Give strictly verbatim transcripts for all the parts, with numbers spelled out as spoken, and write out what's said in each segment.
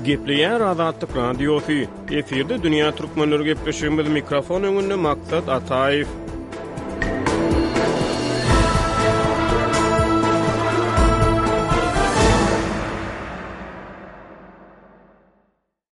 Gepleýär Azatlyk Radiosy. Efirde dünýä türkmenleri gepleşigimiz mikrofon öňünde Maksat Ataýew.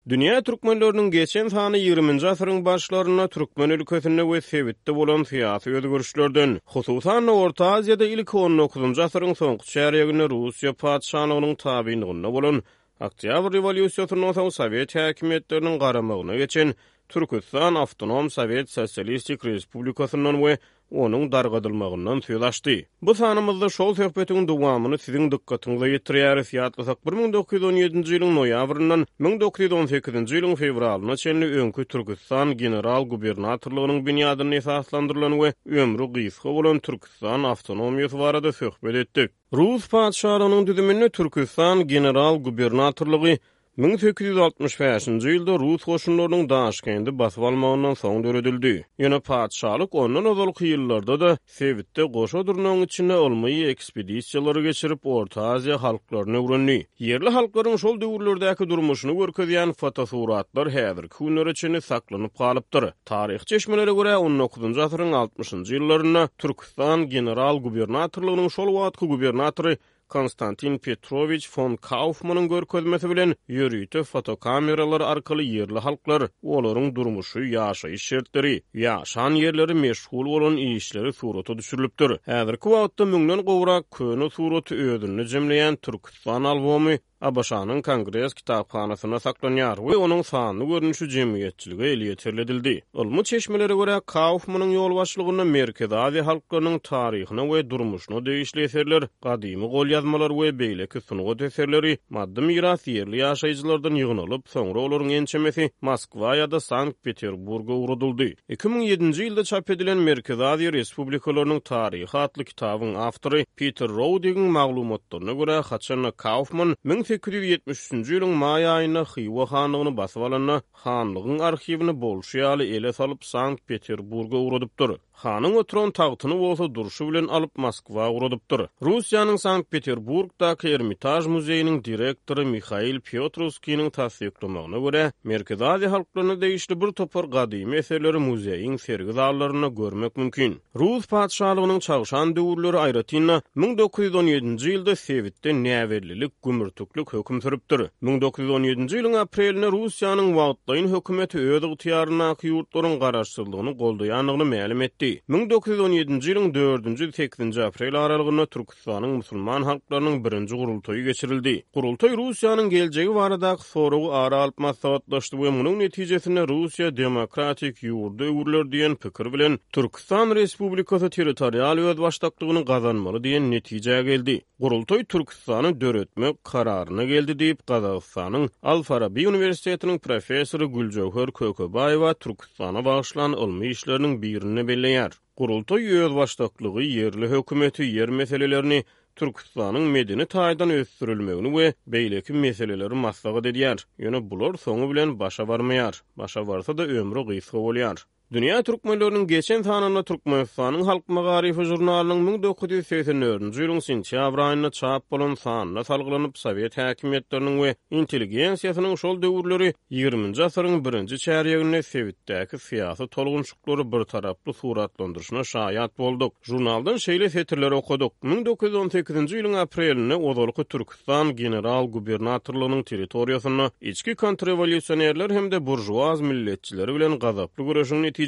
Dünýä türkmenleriniň geçen sany ýigriminji asyryň başlarynda türkmen ülkesinde we sebitde bolan syýasy özgerişlerden, hususan-da Orta Aziýada ilki on dokuzynjy asyryň soňky çärýeginde Russiýa patyşalygynyň tabynlygynda bolan Oktýabr rewolýusiýasyndan soň sowet häkimiýetleriniň garamagyna geçen Türküstan Awtonom Sowet Sosialistik Respublikasyndan we onuň dargadylmagyndan söz açdy. Bu sanymyzda şol söhbetiň dowamyny siziň dykgatyňyza ýetirýäris. Ýatlasak, bir müň dokuz ýüz on ýedinji ýylyň noýabryndan müň dokuz ýüz on sekizinji ýylyň fewralyna çenli öňki Türküstan general-gubernatorlygynyň binýadynda esaslandyrylan we ömri gysga bolan Türküstan awtonomiýasy barada söhbet etdik. Rus patyşalygynyň düzüminde Türküstan general-gubernatorlygy müň sekiz ýüz altmyş bäşinji ýylda rus goşunlarynyň Daşkendi basyp almagyndan soň döredildi. Ýöne patyşalyk ondan ozalky ýyllarda-da sebitde goşa durnagyň içinde ylmy ekspedisiýalary geçirip, Orta Aziýa halklaryny öwrendi. Ýerli halklaryň şol döwürlerdäki durmuşyny görkezýän fotosuratlar häzirki günlere çenli saklanyp galypdyr. Taryhy çeşmelere görä, on dokuzynjy asyryň altmyşynjy ýyllarynda Türküstan general-gubernatorlygynyň şol wagtky gubernatory Konstantin Petrowiç fon Kaufmanyň görkezmesi bilen ýörite fotokameralar arkaly ýerli halklar, olaryň durmuşy, ýaşaýyş şertleri, ýaşan ýerleri, meşgul bolan işleri surata düşürilipdir. Häzirki wagtda müňden gowrak köne suraty özünde jemleýän Türküstan albomy A B Ş-nyň Kongres kitaphanasynda saklanýar we onuň sanly görnüşi jemgyýetçilige elýeterli edildi. Ylmy çeşmelere görä, Kaufmanyň ýolbaşçylygynda Merkezi Aziýa halklarynyň taryhyna we durmuşyna degişli eserler, gadymy golýazmalar we beýleki sungat eserleri maddy miras ýerli ýaşaýjylardan ýygnalyp, soňra olaryň ençemesi Moskwa ýa-da Sankt-Peterburga ugradyldy. Iki müň ýedinji ýylda çap edilen Merkezi Aziýa Respublikalarynyň taryhy atly kitabyň awtory Peter Roudigiň maglumatlaryna görä, haçanda Kaufman müň sekiz ýüz ýetmiş üçünji ýylyň maý aýynda Hywa hanlygyny basyp alanda, hanlygyň arhiwini bolşy ýaly ele salyp Sankt-Peterburga ugradypdyr. Hanyň oturan tagtyny bolsa durşy bilen alyp Moskwa ugradypdyr. Russiýanyň Sankt-Peterburgdaky Ermitaj muzeýiniň direktory Mihail Piotrowskiniň tassyklamagyna görä, Merkezi Aziýa halklaryna degişli bir topar gadymy eserleri muzeýiň sergi zallarynda görmek mümkin. Rus patyşalygynyň çagşan döwürleri aýratyn-da müň dokuz ýüz on ýedinji ýylda sebitde näbellilik, gümürtiklik höküm sürüpdir. Müň dokuz ýüz on ýedinji ýylyň aprelinde Russiýanyň wagtlaýyn hökümeti öz ygtyýaryndaky ýurtlaryň garaşsyzlygyny goldaýandygyny mälim etdi. Müň dokuz ýüz on ýedinji ýylyň dördünji sekizinji aprel aralygynda Türküstanyň musulman halklarynyň birinji gurultaýy geçirildi. Gurultaý Russiýanyň geljegi baradaky soragy ara alyp maslahatlaşdy we munuň netijesinde Russiýa demokratik ýurda öwrüler diýen pikir bilen Türküstan Respublikasy territorial özbaşdaklygyny gazanmaly diýen netijä geldi. Gurultaý Türküstany döretmek kararyna geldi diýip Gazagystanyň Al-Farabi Uniwersitetiniň professory Güljöwher Kökebaýewa Türküstana bagyşlan ylmy işleriniň birinde belleýär. Gurultaý özbaşdaklygy, ýerli hökümeti, ýer meselelerini, Türküstanyň medeni taýdan ösdürilmegini we beýleki meseleleri maslahat edýär. Ýöne bular soňy bilen başa barmaýar. Başa barsa-da ömri gysga bolýar. Dünýä türkmenleriniň geçen sanynda Türkmenistanyň Halk Magaryfy žurnalynyň müň dokuz ýüz segsen dördünji ýylyň sentýabr aýynda çap bolan sanyna salgylanyp, sowet häkimiýetleriniň we intelligensiýasynyň şol döwürleri ýigriminji asyryň birinji çärýeginde sebitdäki syýasy tolgunçyklary bir taraply suratlandyryşyna şaýat bolduk. Žurnaldan şeýle setirler okadyk. Müň dokuz ýüz on sekizinji ýylyň aprelinde ozalky Türküstan general-gubernatorlygynyň territoriýasynda içki kontrrewolýusionerler hem-de burjuaz milletçileri bilen gazaply göreşiň netijesinde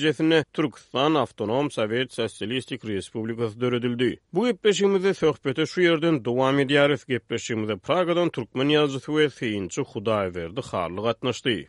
Türküstan Awtonom Sowet Sosialistik Respublikasy döredildi. Bu gepleşigimizde söhbeti şu ýerden dowam edýäris. Gepleşigimize Pragadan türkmen ýazyjysy we synçy Hudaýberdi Hally gatnaşdy.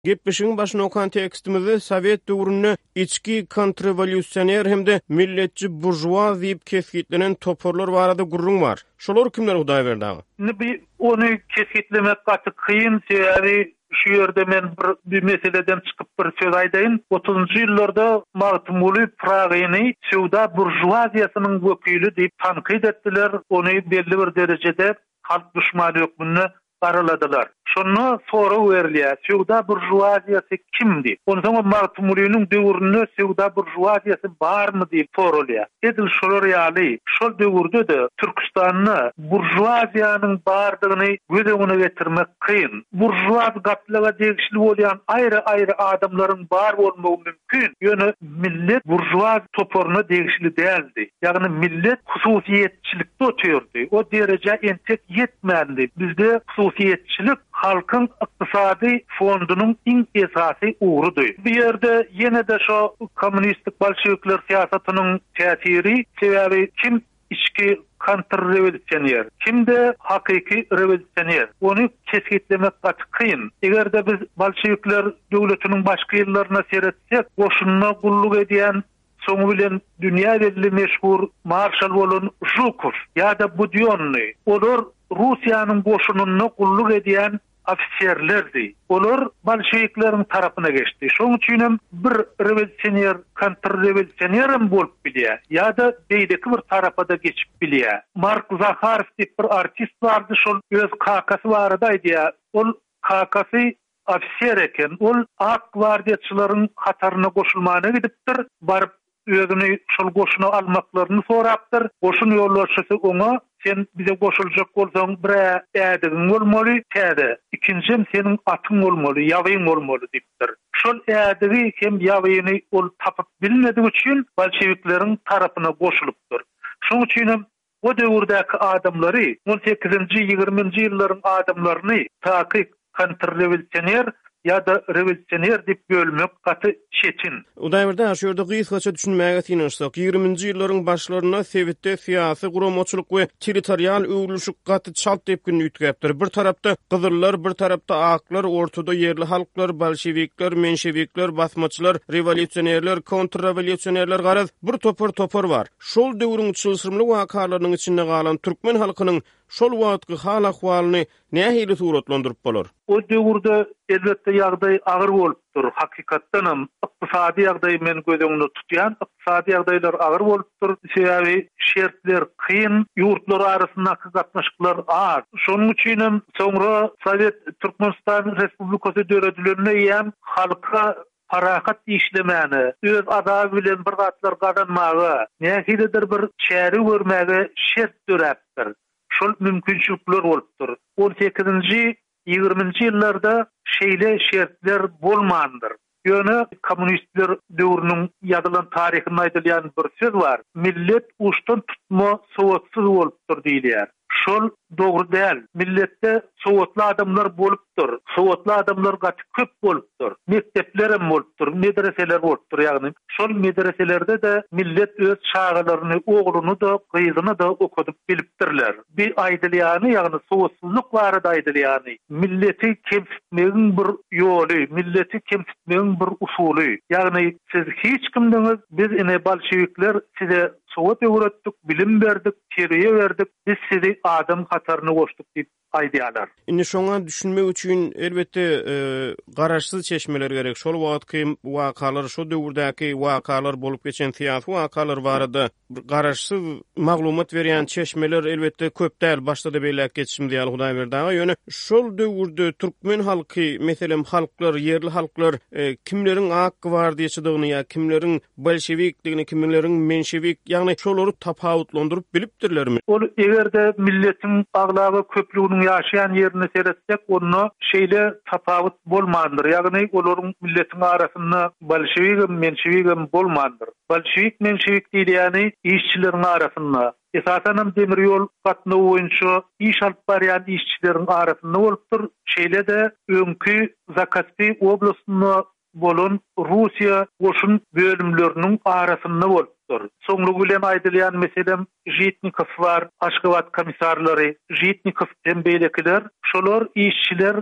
Gepleşigiň başyny okan tekstimizde Sowet döwründe içki kontrrewolýusioner hem-de milletçi burjuaz diýip kesgitlenen toparlar barada gürrüň bar. Şolar kimler Hudaýberdi aga? Indi bi ony kesgitlemek gaty kyn, sebäbi şu ýerde men bir, bir meseleden çykyp bir söz aýdaýyn. Otuzunjy ýyllarda Magtymguly Pragyny söwdaburjuaziýasynyň wekili diýip tankyt etdiler. Ony belli bir derejede halk düşmany hökmünde garaladylar. Şonda sorag berilýär, söwda buržuaziýasy kimdi? Onsoň Magtymgulynyň döwründe söwda buržuaziýasy barmy diýip sorulýar. Edil şolar ýaly, şol döwürde-de Türkistanda buržuaziýanyň bardygyny göz öňüne getirmek kyn. Buržuaz gatlaga degişli bolýan aýry-aýry adamlaryň bar bolmagy mümkin. Ýöne millet buržuaz toparyna degişli däldi. Ýagny millet hususyýetçilikde otyrdy. O dereje entek ýetmändi. Bizde hususyýetçilik halkyň ykdysady fondunyň iň esasy ugrudy. Bu ýerde ýene-de şo kommunistik bolşevikler syýasatynyň täsiri, sebäbi kim içki kontrrewolýusioner, kimde hakyky rewolýusioner. Ony kesgitlemek gaty kyn. Eger-de biz bolşevikler döwletiniň başky ýyllaryna seretsek, goşunda gulluk edýän soňy bilen dünýä belli meşhur marşal bolan Žukov ýa-da Budyonny, olar Russiýanyň goşunynda gulluk edýän ofiserlerdi. Olar bolşevikleriň tarapyna geçdi. Şonuň üçin hem bir rewolýusioner kontrrewolýusioner hem bolup bilýär ýa-da beýleki bir tarapa da geçip bilýär. Mark Zaharow diýip bir artist bardy, şol öz kakasy barada aýdýar. Ol kakasy ofiser eken. Ol ak gwardiýaçylaryň hataryna goşulmana gidipdir. Baryp özüni şol goşuna almaklaryny sorapdyr. Goşun ýolbaşçysy oňa sen bize goşuljak bolsaň bir ädigiň bolmaly, täze. Ikinjim seniň atyň bolmaly, ýabyň bolmaly diýipdir. Şol ädigi hem ýabyny ol tapyp bilmediği üçin bolşevikleriň tarapyna goşulypdyr. Şonuň üçin hem o döwürdäki adamlary on sekizinji, ýigriminji ýyllaryň adamlaryny takyk kontrrewolýusioner ýa-da rewolýusioner diýip bölmek gaty çetin. Hudaýberdi, şu ýerde gysgaça düşünmäge synanyşsak, ýigriminji ýyllaryň başlarynda sebitde syýasy guramaçylyk we territorial öwrülişik gaty çalt depginli üýtgäpdir. Bir tarapda gyzyllar, bir tarapda aklar, ortada ýerli halklar, bolşevikler, menşevikler, basmaçylar, rewolýusionerler, kontrrewolýusionerler garaz bir topar topar bar. Şol döwrüň çylşyrymly wakalarynyň içinde galan türkmen halkynyň şol wagtky hal ahwalyny nähili suratlandyryp bolar? O döwürde elbetde ýagdaý agyr bolupdyr. Hakykatdan hem ykdysady ýagdaý men göz öňünde tutýan, ykdysady ýagdaýlar agyr bolupdyr. Sebäbi şertler kyn, ýurtlar arasyndaky gatnaşyklar az. Şonuň üçin hem soňra Sowet Türkmenistan Respublikasy döredilende hem halka parahat işlemäne, öz azaby bilen bir zatlar gazanmaga, nähilidir bir çäre görmäge şert döräpdir. Şol mümkinçilikler bolupdyr. on sekizinji, ýigriminji ýyllarda şeýle şertler bolmandyr. Ýöne kommunistler döwrüniň ýazylan taryhynda aýdylýan bir söz bar. Millet uçdan tutma sowatsyz bolupdyr diýilýär. Şol dogry däl. Milletde sowatly adamlar bolupdyr. Sowatly adamlar gaty köp bolupdyr. Mektepler hem bolupdyr, medreseler bolupdyr. Ýagny şol medreselerde de millet öz çagalaryny, ogluny da, gyzyny da okadyp bilipdirler. Bir aýdylýany, ýagny sowatsyzlyk barada aýdylýany, milleti kemsitmegiň bir ýoly, milleti kemsitmegiň bir usuly. Ýagny siz hiç kimdiňiz, biz ine bolşevikler size sowat öwretdik, bilim berdik, terbiýe berdik, biz sizi adam hataryna goşduk diýip aýdýarlar. Indi şoňa düşünmek üçin elbetde, e, garaşsyz çeşmeler gerek. Şol wagtky wakalar, şo döwürdäki wakalar bolup geçen syýasy wakalar barada garaşsyz maglumat berýän çeşmeler elbetde köp däl. Başda da belläk geçişimiz ýaly Hudaýberdi aga, ýöne şol döwürde türkmen halky, meselem halklar, ýerli halklar, e, kimleriň ak gwardiýaçydygyny ýa kimleriň bolşevikdigini, kimleriň menşevik, ýagny şolary tapawutlandyryp bilipdirlermi? Ol eger-de milletiň aglaba köplüginiň ýaşaýan ýerine seretsek, onda şeýle tapawut bolmandyr. Ýagny olaryň milletiň arasynda bolşewigem, menşewigem bolmandyr. Bolşewik, menşewik diýilýäni işçileriň arasynda, esasan hem demir ýol gatnawy boýunça iş alyp barýan işçileriň arasynda bolupdyr. Şeýle-de öňki Zakaspi oblastynda bolan Russiýa goşun bölümleriniň arasynda bolupdyr. Soňlugy bilen aýdylýan meselem Žitnikow bar, Aşgabat komissarlary, Žitnikow hem beýlekiler, şolar işçiler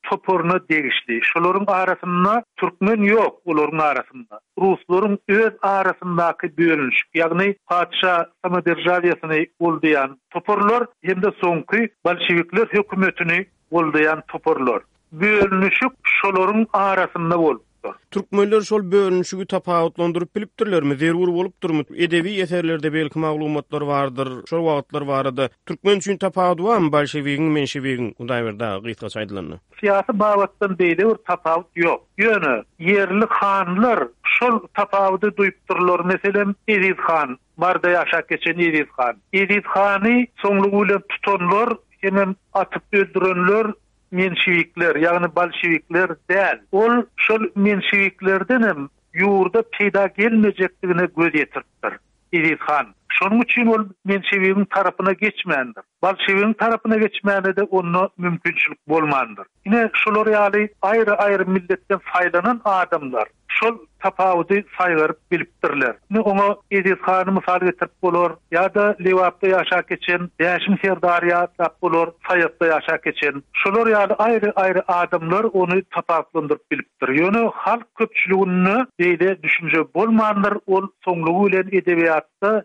toparyna degişli. Şolaryň arasynda türkmen ýok, olaryň arasynda. Ruslaryň öz arasyndaky bölünişik, ýagny patyşa samoderjawiýasyny goldaýan toparlar hem-de soňky bolşevikler hökümetini goldaýan toparlar. Bölünişik şolaryň arasynda bolupdyr. bolupdyr. Türkmenler şol bölünişigi tapawutlandyryp bilipdirlermi, zerur bolupdyrmy? Edebi eserlerde belki maglumatlar bardyr, şol wagtlar barada. Türkmen üçin tapawudy barmy bolşewigiň, menşewigiň, Hudaýberdi aga, gysgaça aýdylanda? Syýasy babatdan beýle bir tapawut ýok. Ýöne ýerli hanlar şol tapawudy duýupdyrlar. Meselem, Eziz han, Maryda ýaşap geçen Eziz han. Eziz hany soňlugy bilen tutanlar hemem atyp öldürenler menşewikler, ýagny bolşewikler däl. Ol şol menşewiklerdenem ýurda peýda gelmejekdigine göz ýetiripdir Eziz han. Şonuň üçin ol menşewigiň tarapyna geçmändir. Bolşewigiň tarapyna geçmäne-de onda mümkinçilik bolmandyr. Ine, şolar ýaly aýry-aýry milletden saýlanan adamlar şol tapawudy saýgaryp bilipdirler. Ine, oňa Eziz hany mysal getirip bolar, ýa-da Lebapda ýaşap geçen Bäşim serdary ýatlap bolar, Saýatda ýaşap geçen. Şolar ýaly aýry-aýry adamlar ony tapawutlandyryp bilipdir. Ýöne halk köpçüliginde beýle düşünje bolmandyr, ol soňlugy bilen edebiýatda,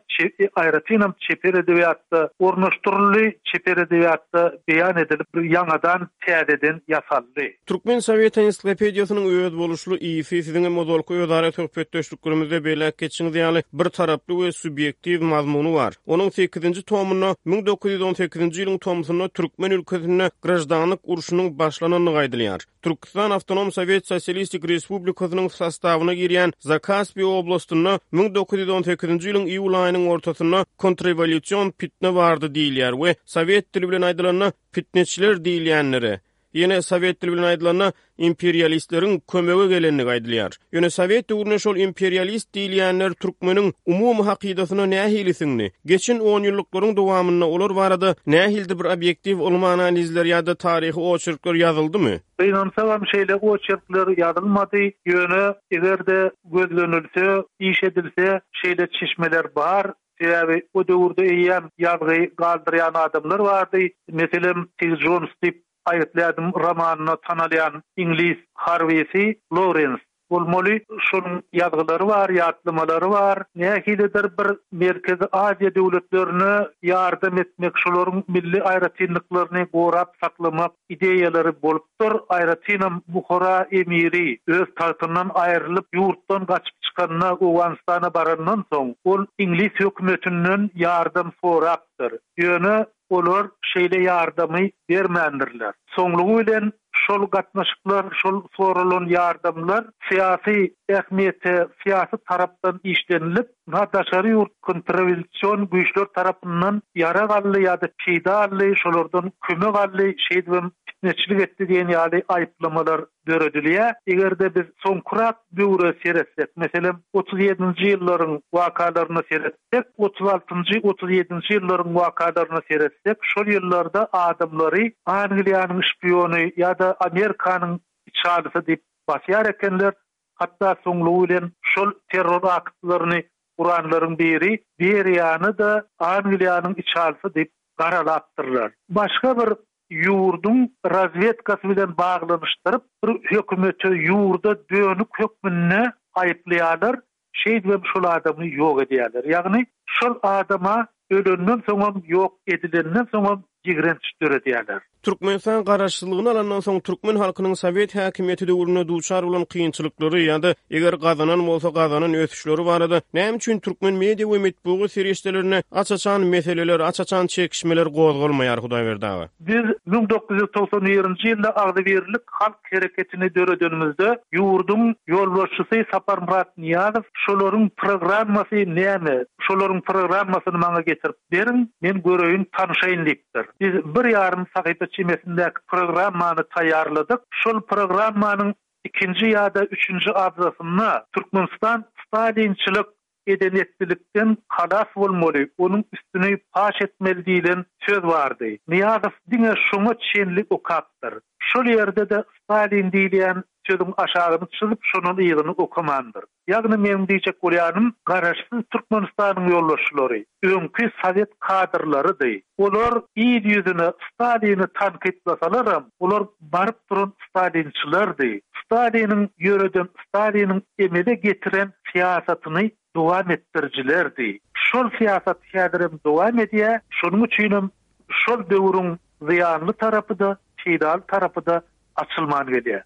aýratynam çeper edebiýatda ornaşdyryldy, çeper edebiýatda beýan edilip, ýaňadan, täzeden ýasaldy. Türkmen sowet ensiklopediýasynyň özboluşly ysy siziňem ozalky özara söhbetdeşliklerimizde belläp geçişiňiz ýaly bir taraply we subýektiw mazmuny bar. Onuň sekizinji tomunda müň dokuz ýüz on sekizinji ýylyň tomsunda türkmen ülkesinde graždanlyk urşunyň başlanandygy aýdylýar. Türküstan Awtonom Sowet Sosialistik Respublikasynyň sostawyna girýän Zakaspi oblastynda müň dokuz ýüz on sekizinji ýylyň iýul aýynyň ortasynda kontrrewolýusion pitne bardy diýilýär we sowet dili bilen aýdylanda pitneçiler diýilýänlere, ýene sowet dili bilen aýdylanda imperialistleriň kömege gelendigi aýdylýar. Ýöne sowet döwründe şol imperialist diýilýänler türkmeniň umumy hakydasyna nähili siňdi? Geçen on ýyllyklaryň dowamynda olar barada nähilidir bir obýektiw ylmy analizler ýa-da taryhy oçerkler ýazyldymy? Gynansagam şeýle oçerkler ýazylmady. Ýöne eger-de gözlenilse, iş edilse şeýle çeşmeler bar. Sebäbi o döwürde eýýäm ýazgy galdyrýan adamlar bardy. Meselem, T. Jones diýip aýytlaýadym romanyna tanalýan iňlis harbisi Lawrence bolmaly. Şonuň ýazgylary bar, ýatlamalary bar. Nähilidir bir Merkezi Aziýa döwletlerine ýardam etmek, şolaryň milli aýratynlyklaryny gorap saklamak ideýalary bolupdyr. Aýratynam Buhara emiri öz tagtyndan aýrylyp ýurtdan gaçyp çykanda Owganystana barandan soň ol iňlis hökümetinden ýardam sorapdyr. Ýöne olar şeýle ýardamy bermändirler. Soňlugy bilen şol gatnaşyklar, şol sorulan ýardamlar syýasy ähmiýete, syýasy tarapdan işlenilip, ha daşary ýurt kontrrewolýusion güýçler tarapyndan ýarag aldy ýa-da peýda aldy, şolardan kömek aldy, şeýdibem fitneçilik etdi diýen ýaly aýyplamalar döredilýär. Eger-de biz soňkurak döwre seretsek, meselem, otuz ýedinji ýyllaryň wakalaryna seretsek, otuz altynjy, otuz ýedinji ýyllaryň wakalaryna seretsek, şol ýyllarda adamlary Angliýanyň şpiony ýa-da Amerikanyň içalysy diýip basýar ekenler. Hatda soňlugy bilen şol terror aktlaryny guranlaryň biri Beriýany da Angliýanyň içalysy diýip garalapdyrlar. Başga bir ýurduň razvedkasy bilen baglanyşdyryp bir hökümete ýurda dönük hökmünde aýyplaýarlar, şeýdibem şol adamy ýok edýärler. Ýagny şol adama ölenden soňam ýok edilenden soňam ýigrenç döredýärler. Türkmenistan garaşsyzlygyny alandan soň türkmen halkynyň sowet häkimiýeti döwründe duçar bolan kynçylyklary ýa-da eger gazanan bolsa gazanan ösüşleri barada näme üçin türkmen media we metbugat serişdelerine aç-açan meseleler, aç-açan çekişmeler gozgalmaýar Hudaýberdi aga? Biz müň dokuz ýüz togsan birinji ýylda agzybirlik halk hereketini döredenimizde ýurduň ýolbaşçysy Saparmyrat Niýazow şolaryň programmasy näme? Şolaryň programmasyny maňa getirip beriň, men göreýin, tanşaýyn diýipdir. Biz bir ýarym sahypa çemesindäki programmany taýýarladyk. Şol programmanyň ikinji ýa-da üçünji abzasynda Türkmenistan stalinçilik edenetlilikden halas bolmaly, onuň üstüni paş etmeli diýlen söz bardy. Niýazow diňe şoňa çenli okapdyr. Şol ýerde-de Stalin diýilýän sözüň aşagyny çyzyp şonuň ýygyny okamandyr. Ýagny men diýjek bolýanym, garaşsyz Türkmenistanyň ýolbaşçylary öňki sowet kadrlarydy. Olar il ýüzüne Stalini tankytlasalaram, olar baryp duran stalinçilerdi. Staliniň ýöreden, Staliniň emele getiren syýasatyny dowam etdiricilerdi. Şol syýasat häzirem dowam edýär. Şonuň üçinem şol döwrüň zyýanly tarapy da, peýdaly tarapy da açylman gelýär.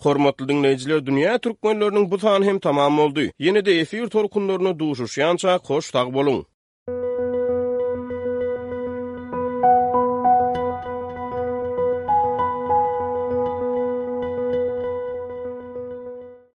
Hormatly diňleýjiler, dünýä türkmenleriniň bu sany hem tamam boldy. Ýene-de efir tolkunlarynda duşuşýançak hoş sag boluň!